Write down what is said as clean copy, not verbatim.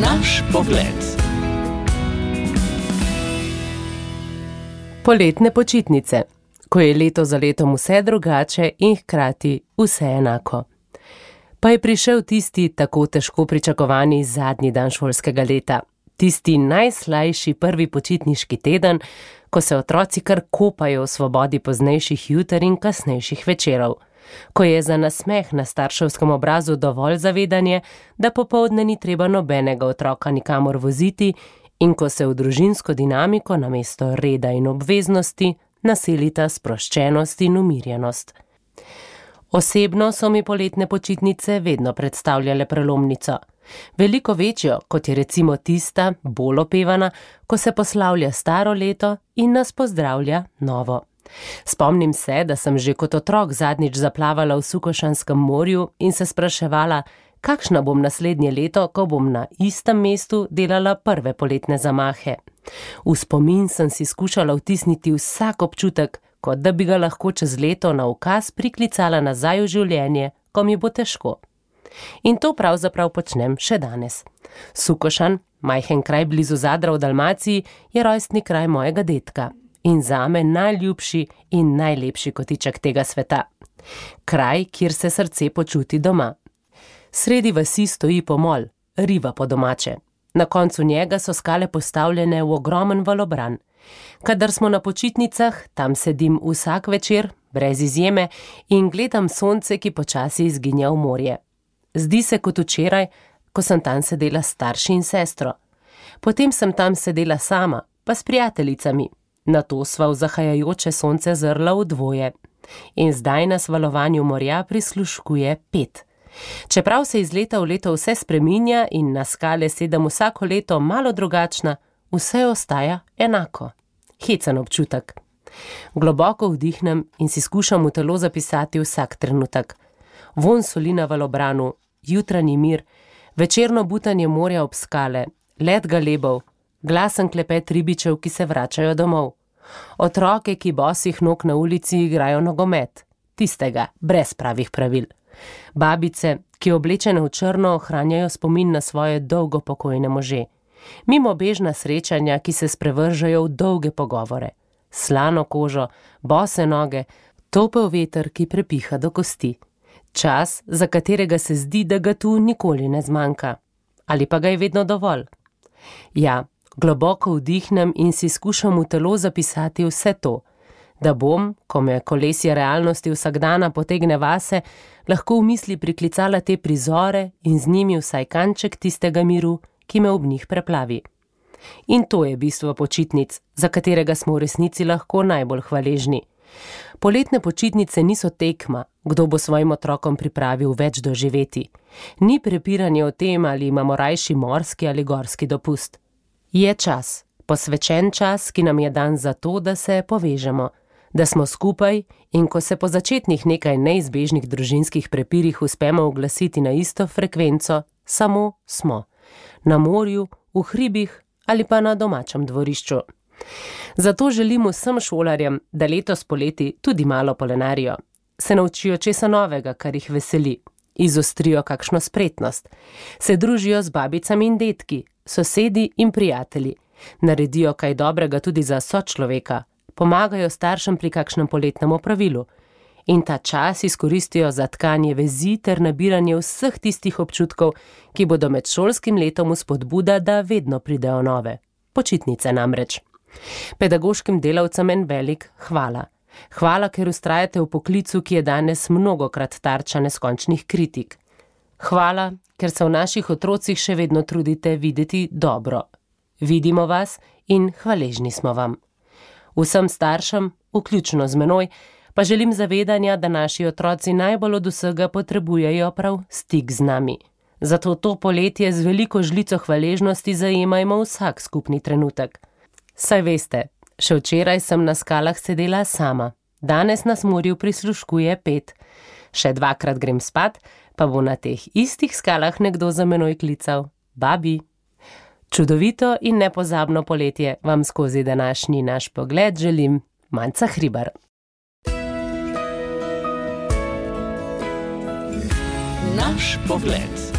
Naš pogled. Poletne počitnice, ko je leto za letom vse drugače in hkrati vse enako. Pa je prišel tisti tako težko pričakovani zadnji dan šolskega leta, tisti najslajši prvi počitniški teden, ko se otroci kar kopajo v svobodi poznejših juter in kasnejših večerov, ko je za nasmeh na starševskem obrazu dovolj zavedanje, da popoldne ni treba nobenega otroka nikamor voziti in ko se v družinsko dinamiko namesto reda in obveznosti naselita sproščenost in umirjenost. Osebno so mi poletne počitnice vedno predstavljale prelomnico. Veliko večjo, kot je recimo tista, bolj opevana, ko se poslavlja staro leto in nas pozdravlja novo. Spomnim se, da sem že kot otrok zadnjič zaplavala v Sukošanskem morju in se spraševala, kakšna bom naslednje leto, ko bom na istem mestu delala prve poletne zamahe. V spomin sem si skušala vtisniti vsak občutek, kot da bi ga lahko čez leto na ukaz priklicala nazaj v življenje, ko mi bo težko. In to pravzaprav počnem še danes. Sukošan, majhen kraj blizu Zadra v Dalmaciji, je rojstni kraj mojega dedka in zame najljubši in najlepši kotiček tega sveta. Kraj, kjer se srce počuti doma. Sredi vasi stoji pomol, riva po domače. Na koncu njega so skale postavljene v ogromen valobran. Kadar smo na počitnicah, tam sedim vsak večer, brez izjeme, in gledam sonce, ki počasi izginja v morje. Zdi se kot včeraj, ko sem tam sedela s starši in sestro. Potem sem tam sedela sama, pa s prijateljicami. Nato sva v zahajajoče sonce zrla v dvoje. In zdaj nas valovanju morja prisluškuje 5. Čeprav se iz leta v leto vse spreminja in na skale sedem vsako leto malo drugačna, vse ostaja enako. Hecen občutek. Globoko vdihnem in si skušam v telo zapisati vsak trenutek. Vonj soli na valobranu, jutranji mir, večerno butanje morja ob skale, let galebov, glasen klepet ribičev, ki se vračajo domov. Otroke, ki bosih nog na ulici igrajo nogomet, tistega, brez pravih pravil. Babice, ki oblečene v črno ohranjajo spomin na svoje dolgo pokojne može. Mimobežna srečanja, ki se sprevržajo v dolge pogovore. Slano kožo, bose noge, topel veter, ki prepiha do kosti. Čas, za katerega se zdi, da ga tu nikoli ne zmanjka. Ali pa ga je vedno dovolj. Ja, globoko vdihnem in si skušam v telo zapisati vse to, da bom, ko me kolesje realnosti vsakdana potegne vase, lahko v misli priklicala te prizore in z njimi vsaj kanček tistega miru, ki me ob njih preplavi. In to je bistvo počitnic, za katerega smo v resnici lahko najbolj hvaležni. Poletne počitnice niso tekma, kdo bo svojim otrokom pripravil več doživeti. Ni prepiranje o tem, ali imamo rajši morski ali gorski dopust. Je čas, posvečen čas, ki nam je dan za to, da se povežemo, da smo skupaj in ko se po začetnih nekaj neizbežnih družinskih prepirih uspemo uglasiti na isto frekvenco, samo smo. Na morju, v hribih ali pa na domačem dvorišču. Zato želim vsem šolarjem, da letos poleti tudi malo polenarijo. Se naučijo česa novega, kar jih veseli. Izostrijo kakšno spretnost. Se družijo z babicami in dedki, sosedi in prijatelji. Naredijo kaj dobrega tudi za sočloveka. Pomagajo staršem pri kakšnem poletnem opravilu. In ta čas izkoristijo za tkanje vezi ter nabiranje vseh tistih občutkov, ki bodo med šolskim letom vzpodbuda, da vedno pridejo nove. Počitnice namreč. Pedagoškim delavcem en velik hvala. Hvala, ker vztrajate v poklicu, ki je danes mnogokrat tarča neskončnih kritik. Hvala, ker se v naših otrocih še vedno trudite videti dobro. Vidimo vas in hvaležni smo vam. Vsem staršem, vključno z menoj, pa želim zavedanja, da naši otroci najbolj od vsega potrebujejo prav stik z nami. Zato to poletje z veliko žlico hvaležnosti zajemajmo vsak skupni trenutek. Saj veste, še včeraj sem na skalah sedela sama, danes nas morju prisluškuje 5. Še 2-krat grem spat, pa bo na teh istih skalah nekdo za menoj klical: Babi. Čudovito in nepozabno poletje vam skozi današnji naš pogled želim Manca Hribar. Naš pogled.